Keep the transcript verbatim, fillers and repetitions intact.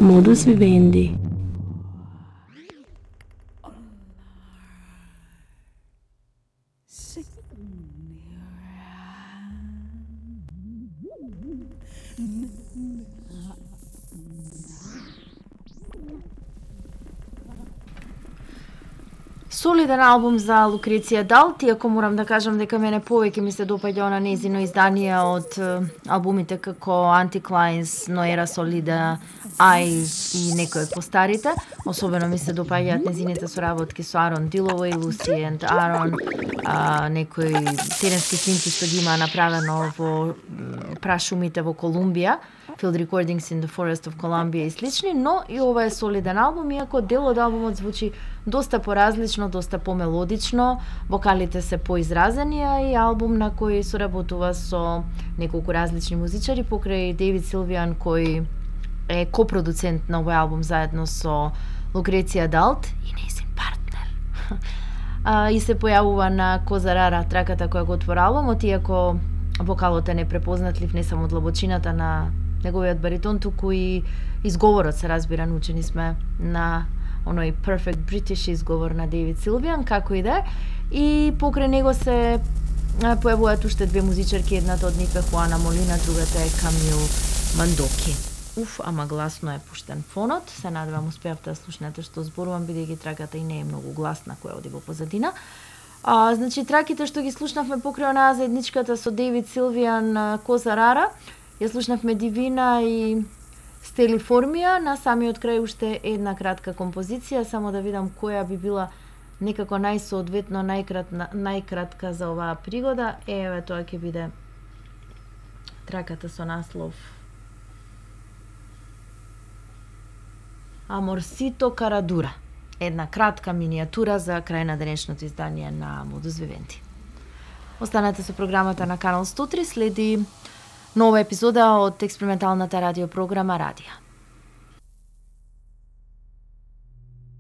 Modus Vivendi. Солиден албум за Лукреција Далт, иако морам да кажам дека мене повеќе ми се допаѓа на незино издание од албумите како Anticlines, Noera Solida, Eye и некои од постарите. Особено ми се допаѓаат незините соработки со Арон Дилово и Луси енд Арон, а, некои теренски снимки што ги има направено во прашумите во Колумбија, Field Recordings in the Forest of Columbia и слични, но и ова е солиден албум, иако дел од албумот звучи доста поразлично, доста помелодично, вокалите се поизразени, а и албум на кој соработува со неколку различни музичари покрај Дейвид Силвијан, кој е копродуцент на овој албум заедно со Лукреција Далт и нејзин партнер. а, и се појавува на Коза Рара, траката која го отвора албумот, иако вокалот е непрепознатлив не само од длабочината на неговиот баритон, туку и изговорот се разбира, научени сме на оној perfect British изговор на Дейвид Силвијан, како и да е. И покрај него се појавуваат уште две музичарки, едната од нив е Хуана Молина, другата е Камил Мандоки. Уф, ама гласно е пуштен фонот. Се надевам успеавте да слушнете што зборувам, бидејќи траката и не е многу гласна која оди во позадина. А, значи, траките што ги слушнавме покрај онаа заедничката со Дейвид Силвијан, Коза Рара, ја слушнавме Дивина и Стелиформија, на самиот крај уште една кратка композиција, само да видам која би била некако најсоодветно најкратна, најкратка за оваа пригода. Еве, тоа ќе биде траката со наслов Аморсито Карадура. Една кратка минијатура за крај на денешното издание на Modus Vivendi. Останете со програмата на Канал сто три, следи нова епизода од експерименталната радиопрограма Радија.